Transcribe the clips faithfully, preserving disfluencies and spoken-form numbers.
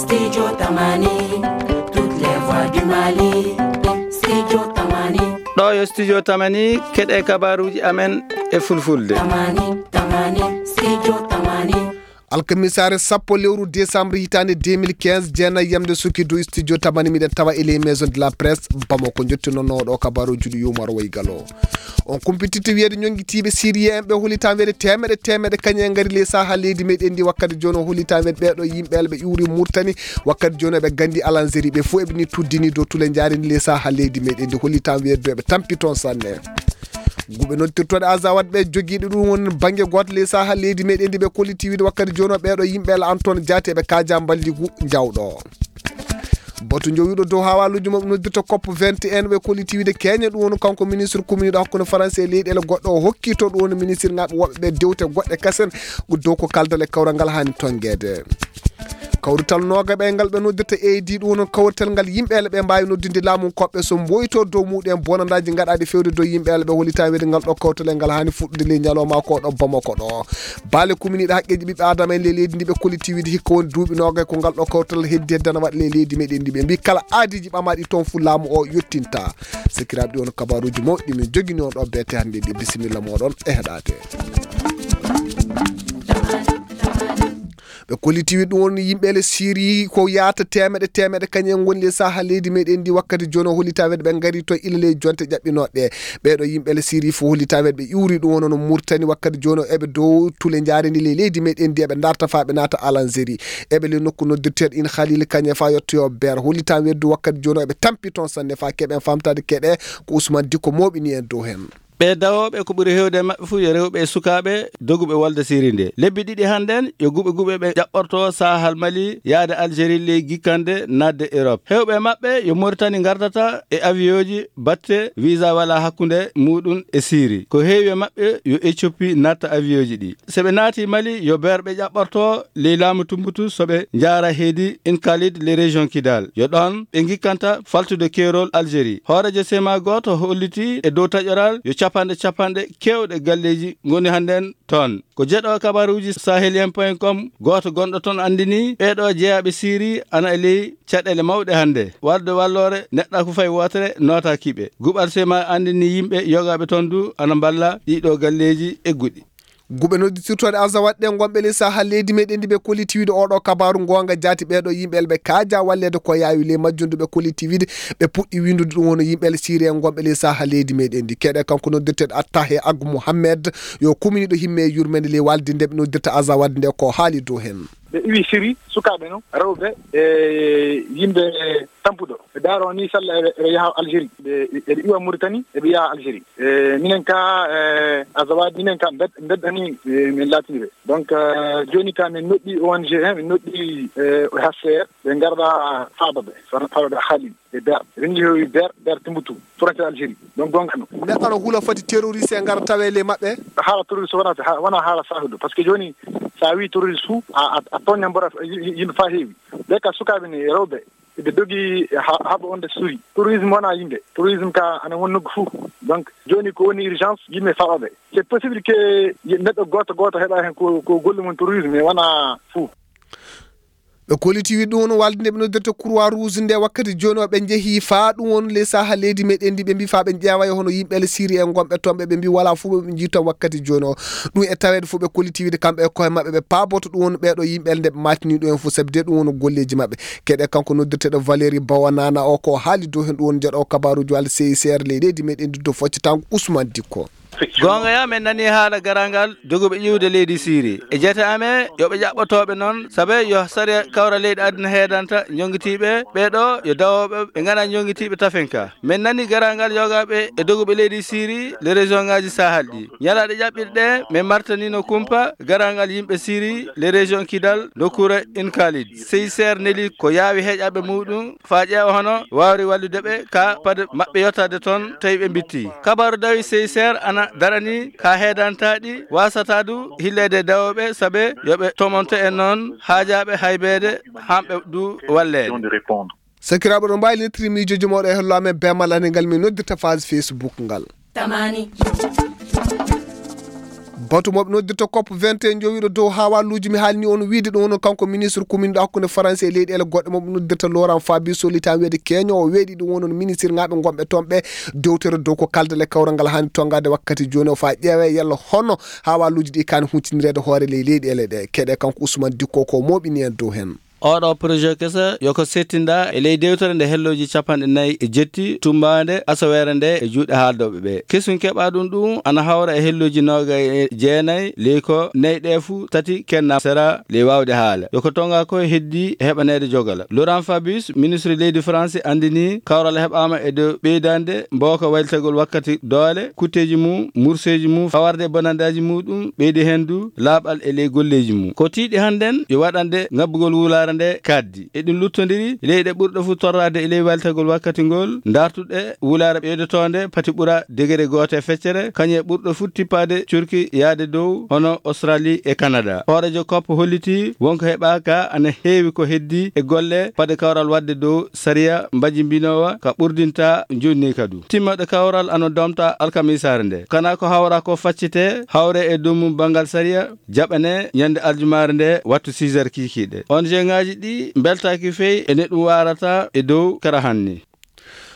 Studio Tamani, toutes les voix du Mali. Studio Tamani. Ɗo yo Studio Tamani, keɗe kabaruji amen e fulfulde. Tamani, Tamani, Studio Tamani. Alkamisaare sappo lewru décembre hitaande deux mille quinze, jeenayi yamde suki du Studio Tamani, miɗen tawa e les maisons de la presse Bamako. Jottinoo ɗo kabaruji ɗi yumaro wayi galo. On kumpititta wiyeede ñonngitiiɓe sirien en ɓe hollitaa wiyeede teemeɗe teemeɗe kañum en ngari ley saha leydi meɗen ndi wakkati jooni. O hollitaa wiyeede ɓeeɗo yimɓe Allah ɓe ƴuuri Murtani wakkati jooni, ɓe gandi Alanzeri, ɓe fof eɓe ni tuddini dow tule njaari ni ley saha leydi meɗen ndi. Hollitaa wiyeede dow ɓe tampi toon sanne. Guɓe noddirtooɗe Azawad ɓe jogiiɗo ɗum woni bannge gooto ley saha leydi meɗen ndi, ɓe kolliti wiide wakkati jooni o ɓeeɗo yimɓe la Antoine Diaté ɓe kaaja mballigu jawɗo. Batu jowiiɗo dow hawaluuji maɓɓe noddirta cop vingt et un ɓe kolliti wiide keñe ɗum woni kanko ministre kuminiiɗo hakkunde Faransi e leyɗeele goɗɗo o hokki to ɗum woni ministre ngaɓe woɓɓe ɓe dewte goɗɗe kasen dow ko kaldal e kawral ngal haani tonngeede. Kawrital noogaɓe ngal ɓe noddirta A D ɗum woni kawrital ngal yimɓe ele ɓe mbaawi noddude laamu koɓɓe so mboyto dow muɗum bonandaaji gaɗaaɗi fewde dow yimɓe ele ɓe hollitaa wiyeede ngal ɗo kawrital e ngal haani fuɗɗude ley ñalawma ko ɗo Bamako ɗo. Baale kuminiiɗe haqqeeji ɓiɓɓe Aadama en ley leydi ndi ɓe kolliti wiide hikka woni duuɓi noogay ko ngal ɗo kawrital heddi hedde na waɗa ley leydi meɗen ndi. Ɓe mbi kala aadiiji ɓamaaɗi toon fuu laamu o yottinta. Sakiraaɓe ɗi won kabaruuji mawɗi min jogini on ɗo beete hannde ɗi. Bisimilla mooɗon e heɗaade. Ɓe kolliti wiide ɗum woni yimɓe le Siri ko yaata teemeɗe teemeɗe kañum en ngoni le saha leydi meɗen ndi wakkati jooni o hollitaa wiyeede ɓe ngari to ila ley jonte ƴaɓɓinooɗe. Ɓeeɗo yimɓe le Siri fof hollitaa wiyeede ɓe ƴuuri ɗum woni no Murtani wakkati jooni o eɓe dow tule njaareni ley leydi meɗen ndi eɓe darta faa ɓe naata Alanzeri. Eɓe le nokku noddirteeɗo in Khalil Kañe faa yottoyo Ber. Hollitaa wiyeede wakkati jooni o eɓe tampi toon sanne faa keɓen famtaade keɗe ko Ousmane Dikko mooɓini en dow heen. Ɓee dawooɓe ko ɓuri heewde e maɓɓe fof yo rewɓe e sukaaɓe doguɓe wolde Siri nde. Lebbi ɗiɗi hannden yo guɓe guɓe ɓe ƴaɓɓortoo saahal Mali yaade Algérie ley gikkande naatde Europe. Heewɓe e maɓɓe yo Mauritanie ngardata e avion ji batte visa wala hakkunde muɗum e Siri. Ko heewi e maɓɓe yo Éthiopie natta avion ji ɗi. So ɓe naati Mali yo Ber ɓe ƴaɓɓortoo ley laamu Tumbutu so ɓe njaara heedi Inkalid ley région Kidal. Yo ɗoon ɓe ngikkanta faltude keerol Algérie. Hooreejo sema gooto holliti e dow taƴoral yo capanɗe capanɗe keewɗe galleeji ngoni hannden toon. Ko jeɗo kabaruuji sahelien point com gooto gonɗo toon anndini ɓeeɗo jeyaaɓe Siri ana e ley caɗeele mawɗe hannde. Wallude walloore neɗɗaaku fay wootere nootaaki ɓe. Guɓal sema anndini yimɓe yogaaɓe toon du ana mballa ɗiɗo galleeji egguɗi. Guɓe noddirtooɗe Azawad ɗe ngonɓe ley saha leydi meɗen ndi ɓe kolliti wiide oɗo kabaru goonga jaati ɓeeɗo yimɓe ɓe kaaja walleede ko yaawi ley majjum du ɓe kolliti wiide ɓe puɗɗi winndude ɗum woni yimɓe Siri en ngonɓe ley saha leydi meɗen ndi. Keɗe kanko noddirteeɗo Attahe Agu Mohammed yo kuminiiɗo himme e yurmeende ley walde nde ɓe noddirta Azawad nde ko haali dow heen. Ɓe iwi Siri sukaaɓe noon rewɓe e yimɓe tampuɗo ɓe daaro ni salla eɓe eɓe yaha Algérie ɓe eɓe iwa Mauritanie eɓe yaha Algérie. E minen ka e Azawad minen ka mbed mbeddani e, min laatini ɓe donc e, jooni ka min noɗɗi O N G en min noɗɗi e, O H C R ɓe ngarɗa faaba ɓe faaba ɓe Khalil e Ber ɓe njehowi Ber Ber Timbuktu frontière Algérie donc gonga no. Neɗɗo no hula foti terroriste e ngara tawe le maɓɓe. Haala terroriste wona wona haala sahudo parce que jooni sa wi terroriste fu a a tooña mbora yimɓe fa heewi ɓe ka sukaaɓe ni rewɓe ɓe dogi haɓa onde suuyi. Terrorisme wona yimɓe terrorisme ka ana won nokku fuu donc jooni ko woni urgence yimɓe fawaɓe. C'est possible que neɗɗo gooto gooto heɓa heen ko ko golle mum terrorisme mais wona fuu. Ɓe kolliti wi ɗum won walde nde ɓe noddirta Croix Rouge nde wakkati jooni o ɓe njehi faa ɗum won les saha leydi meɗen ndi ɓe mbi faa ɓe ƴeewa e hono yimɓe le Siri en gonɓe toon ɓe ɓe mbi wala fuu ɓe jiita wakkati jooni o. Ɗum e taweede fof ɓe kolliti wiide kamɓe e koye maɓɓe ɓe paaboto ɗum woni ɓeeɗo yimɓe nde ɓe maatini ɗum en fof sabi de ɗum woni golleeji maɓɓe. Keɗe kanko noddirteeɗo Valérie Bawanana o ko haali dow heen ɗum woni jeɗo kabaruuji walla C I C R ley leydi meɗen ndi dow foccatango Ousmane Dikko. Goonga ya min nani haala garangal joguɓe ƴiwde leydi Siri e jeete amen yo ɓe ƴaɓɓotooɓe noon sabe yo sariya kawra leyɗe aduna heedanta jongitiiɓe ɓeeɗo yo dawooɓe ɓe ngana jongitiiɓe tafinka. Min nani garangal yogaaɓe e doguɓe leydi Siri le région ngaji Sahel ɗi. Ñalaaɗe ƴaɓɓiɗe ɗe min martanino kumpa garangal yimɓe Siri le région Kidal nokkuure Inkalid. C I C R neli ko yaawi heeƴaɓe muɗum faa ƴeewa hono waawri wallude ɓe ka paɗe maɓɓe yottaade toon tawi ɓe mbitti. Kabaru dawi C I C R ana darani ka heedantaɗi wasata du hilleede dawooɓe sabe yo ɓe tomonto en noon haajaaɓe haybeede hamɓe du walleede. Sakiraaɓe ɗo mbaawi lettre miijooji mawɗo e hello amen beemal ane ngal min noddirta phase Facebook ngal. Tamani. Batu mo ɓe noddirta cop vingt et un jowiiɗo dow haawaaluuji mi haalni on wiide ɗum wonno kanko ministre kuminɗo hakkunde Faransi e leyɗeele goɗɗe mo ɓe noddirta Laurent Fabius, sollitaama wiyeede keñoowo weeɗi ɗum wonno ministre ŋaaɓe gonɓe toon ɓe dewtere dow ko kaldale kawral ngal haani tonngaade wakkati jooni o faa ƴeewee yalla hono haawaaluuji ɗi kaani huccinireede hoore ley leyɗeele ɗe. Keɗe kanko Ousmane Dicko ko mooɓini en dow heen. Oɗo projet keso yo ko settinda e ley dewtere nde hellooji capanɗe nayi e jetti tumbaande asaweere nde e juuɗe haaldooɓe ɓe. Kesun keɓa ɗum ɗum ana hawra e hellooji noogay e jeenayi ley ko nayi ɗe fuu tati kenna sera ley waawde haala. Yo ko tonga ko heddi heɓaneede jogala. Laurent Fabius, ministre leydi France, anndini kawral heɓaama e dow ɓeydande mbooka waylitegol wakkati doole, kutteeji mum, murseeji mum, fawarde e bonandaaji muɗum, ɓeydi heen du laaɓal e ley golleeji mum. Ko tiiɗi hannden yo waɗande ngabbugol wulaare nde kaaddi. Eɗum luttondiri leyɗe ɓurɗe fuu torraade e ley waylitegol wakkati ngol, dartuɗe wulaare ɓeydotoonde pati ɓura degere gooto e feccere, kañum e ɓurɗo fuu tippaade curki yaade dow hono Australie e Canada. Hooreejo cop holliti wonko heɓaaka ana heewi ko heddi e golle fade kawral waɗde dow sariya mbajimbinoowa ka ɓurdinta jonni ka du. Timmoɗe kawral ano domta alkamisaare nde. Kana ko hawra ko faccite hawre e dow mum banngal sariya jaɓane ñande aljumaare nde wattu six heures kiikiiɗe. O N G ŋaaji ɗi mbeltaaki fey e ne ɗum waarata e dow kara hanni.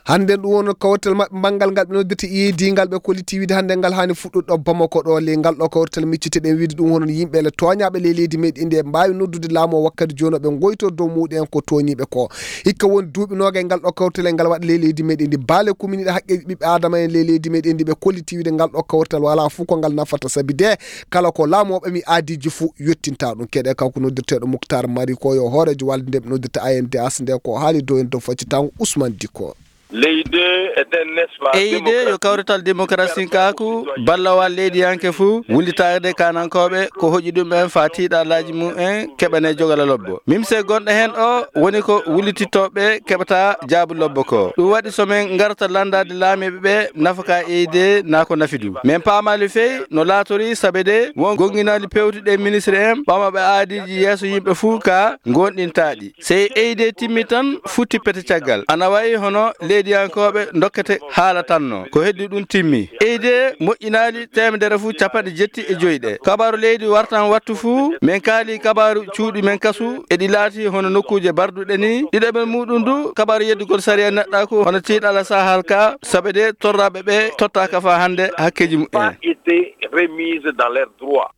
Hannden ɗum wonno kawtal maɓɓe banngal ngal ɓe noddirta iidi ngal ɓe kolliti wiide hannden ngal haani fuɗɗude ɗo Bamako ɗo ley ngal ɗo kawtal micciteɗen wiide ɗum hono yimɓe ele tooñaaɓe ley leydi meɗen ndi e mbaawi noddude laamu o wakkati jooni o ɓe ngoyto dow muɗen ko tooñiiɓe ko. Hikka woni duuɓi noogay ngal ɗo kawtal e ngal waɗa ley leydi meɗen ndi. Baale kuminiiɗe haqqeeji ɓiɓɓe Aadama en ley leydi meɗen ndi ɓe kolliti wiide ngal ɗo kawtal walaa fof ko ngal nafata sabi de kala ko laamu o ɓami aadiiji fof yottinta ɗum. Keɗe kanko noddirteeɗo Muktar Mari ko yo hooreejo walde nde ɓe noddirta A N D H nde ko haali dow en dow faccitango Ousmane Dicko. Leydi e nden nesba Eyde yo kawrital démocratie kaaku ballowal leydiyanke fuu wullitaade kanankooɓe ko hoƴi ɗum en faa tiiɗalaaji mum en keɓane jogala lobbo. Mimse gonɗo heen o woni ko wullitittooɓe keɓata jaabu lobbo ko. Ɗum waɗi so men ngarta lanndaade laamiiɓe ɓe nafaka Eyde naa ko nafi ɗum. Men paamaali fey no laatori sabe de won gonnginaali pewtuɗe ministre en ɓamooɓe aadiiji yeeso yimɓe fuu ka ngonɗintaaɗi. Sey Eyde timmi tan futti pete caggal. Ana wayi hono leydiyankooɓe dokkete haala tan no. Ko heddi ɗum timmi. Eyde moƴƴinaali teemedere fuu capanɗe jetti e joy ɗe. Kabaaru leydi wartan wattu fuu, men kaali kabaaru cuuɗi men kasu, e ɗi laati hono nokkuuje barduɗe ni. Ɗiɗaɓel muɗum du, kabaaru yeddugol sariya neɗɗaaku hono tiiɗala sahal ka, sabe de torraɓe ɓe tottaaka faa hannde hakkeeji muɓɓen. Pas été remise dans leurs droits.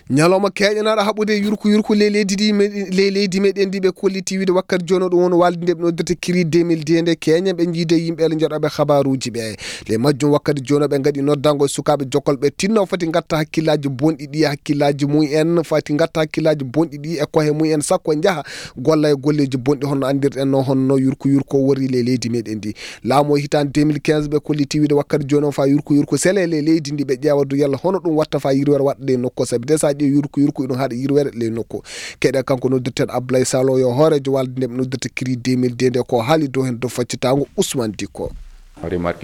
Ñalawma keeƴanaaɗo haɓude yurko yurko ley leydi ndi me-, ley leydi meɗen ndi ɓe kolliti wiide wakkati jooni ɗum woni walde nde ɓe noddata kiri deux mille deux nde keeña ɓe jiide yimɓe ele joɗoɓe habaruuji ɓe. Ley majjum wakkati jooni ɓe ngaɗi noddango e sukaaɓe jokkolɓe tinno foti ngatta hakkillaaji bonɗi ɗi e hakkillaaji mum en fati ngatta hakkillaaji bonɗi ɗi e kohe mum en sakko njaha golla e golleeji bonɗi honno anndirɗen no honno yurko yurko worri ley leydi meɗen ndi. Laamu o hitaande deux mille quinze ɓe kolliti wiide wakkati jooni o faa yurko yurko sele ley leydi ndi ɓe ƴeewa du yalla hono ɗum watta faa yirwere waɗa ley nokku o sabi de so a ƴeewi yurko yurko iɗum haɗa yirwere ley nokku. Keɗe kanko noddirteeɗo Ablaye Salo yo hooreejo walde nde ɓe noddirta kiri deux mille deux nde ko haali dow heen dow faccitaango Ousmane Dicko.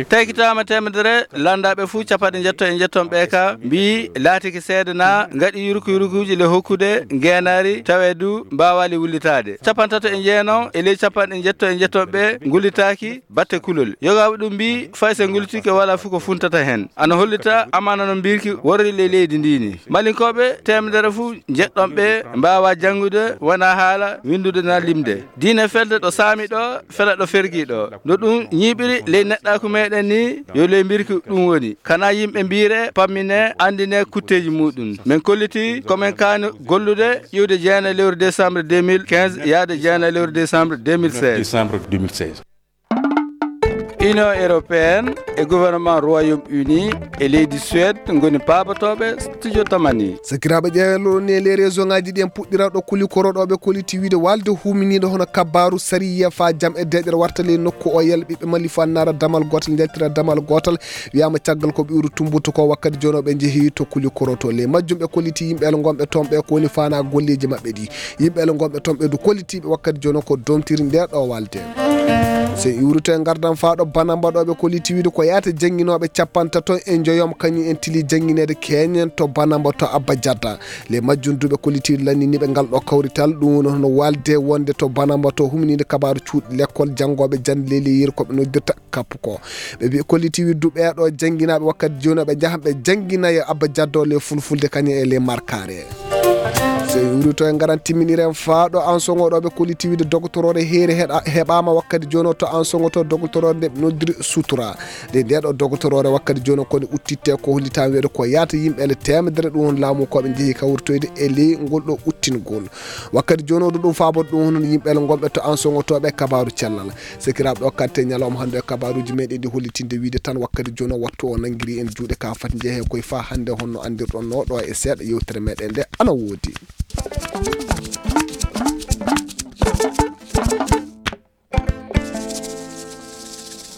Taykitaama teemedere lanndaaɓe fuu capanɗe njetto e njetton ɓe ka mbii laatike seede na ngaɗi yurko yurkuuji le hokkude ngeenaari tawe du mbaawaali wullitaade. Capantato e jeenaw e ley capanɗe njetto e njetton ɓe ngullitaaki batte kulol. Yogaaɓe ɗum mbii fay so ngullitike walaa fuu ko funtata heen. Ana hollita amaana no mbirki worri ley leydi ndi ni. Malinkooɓe teemedere fuu njeɗɗon ɓe mbaawa janngude wona haala winndude na limde. Diine felde ɗo saami ɗo fela ɗo fergi ɗo. No ɗum ñiiɓiri ley neɗɗaaku meɗen ni yo ley mbirki ɗum woni. Kana yimɓe mbiire pammine anndine kutteeji muɗum. Men kolliti ko men kaani gollude iwde jeena lewru décembre deux mille quinze yaade jeena lewru décembre deux mille seize. Décembre deux mille seize. Union européenne e gouvernement Royaume-Uni e leydi Suède ngoni paabotooɓe studio tamani. Sakiraaɓe ƴeewello ɗon ni e les région ngaji ɗi en puɗɗira ɗo kuli koroɗoɓe koliti wiide walde huminiɗo hono kabaru sariya fa jam e deƴere warta ley nokku o yel ɓiɓɓe mali fo annara damal gotal njaltira damal gotal. Wiyama caggal ko ɓiwru tumbutu ko wakkati jono ɓe jeehi to kuli koroto ley majjum ɓe koliti yimɓe el gonɓe toon ɓe ko woni fana golleji maɓɓe ɗi. Yimɓe el gonɓe toon ɓe du kolitiɓe wakkati jono ko domtiri nde ɗo walde. So en iwrito e ngardan faa ɗo Banamba ɗo ɓe kolliti wiide ko yaata jannginooɓe capantato e njoyom kañum en tili janngineede keñen to Banamba to Abba Jadda. Le majjum duuɓe kolliti wiide lanniniiɓe ngal ɗo kawrital ɗum woni hono waalde wonde to Banamba to huminiinde kabaaru cuuɗi lekkol janngooɓe jannde leydi yeru ko ɓe noddirta kappu ko. Ɓe mbi kolliti wiide duuɓe ɗo jannginaaɓe wakkati jooni ɓe njahan ɓe janngina e Abba Jadda le fulfulde kañum e le markaare. So en iwrito e ngaran timminiren faa ɗo Ansoŋo ɗo ɓe kolliti wiide dogotoroore heere heɗa- heɓaama wakkati jooni to Ansoŋo to dogotoroore nde ɓe noddiri sutura. Nde nde ɗo dogotoroore wakkati jooni ko nde uttitte ko hollitaa wiyeede ko yaata yimɓe ele teemedere ɗum woni laamu ko ɓe njehi kawritoyde e ley ngol ɗo uttingol. Wakkati jooni o ɗum faabode ɗum hono yimɓe ele ngonɓe to Ansoŋo to ɓe kabaaru cellal. Sekiraaɓe ɗo katte ñalawma hannde e kabaaruuji meɗen ɗi hollitinde wiide tan wakkati jooni o wattu o nanngiri en juuɗe ka fati njehe koye faa hannde honno anndirɗon no ɗo e seeɗa yewtere meɗen nde ana woodi.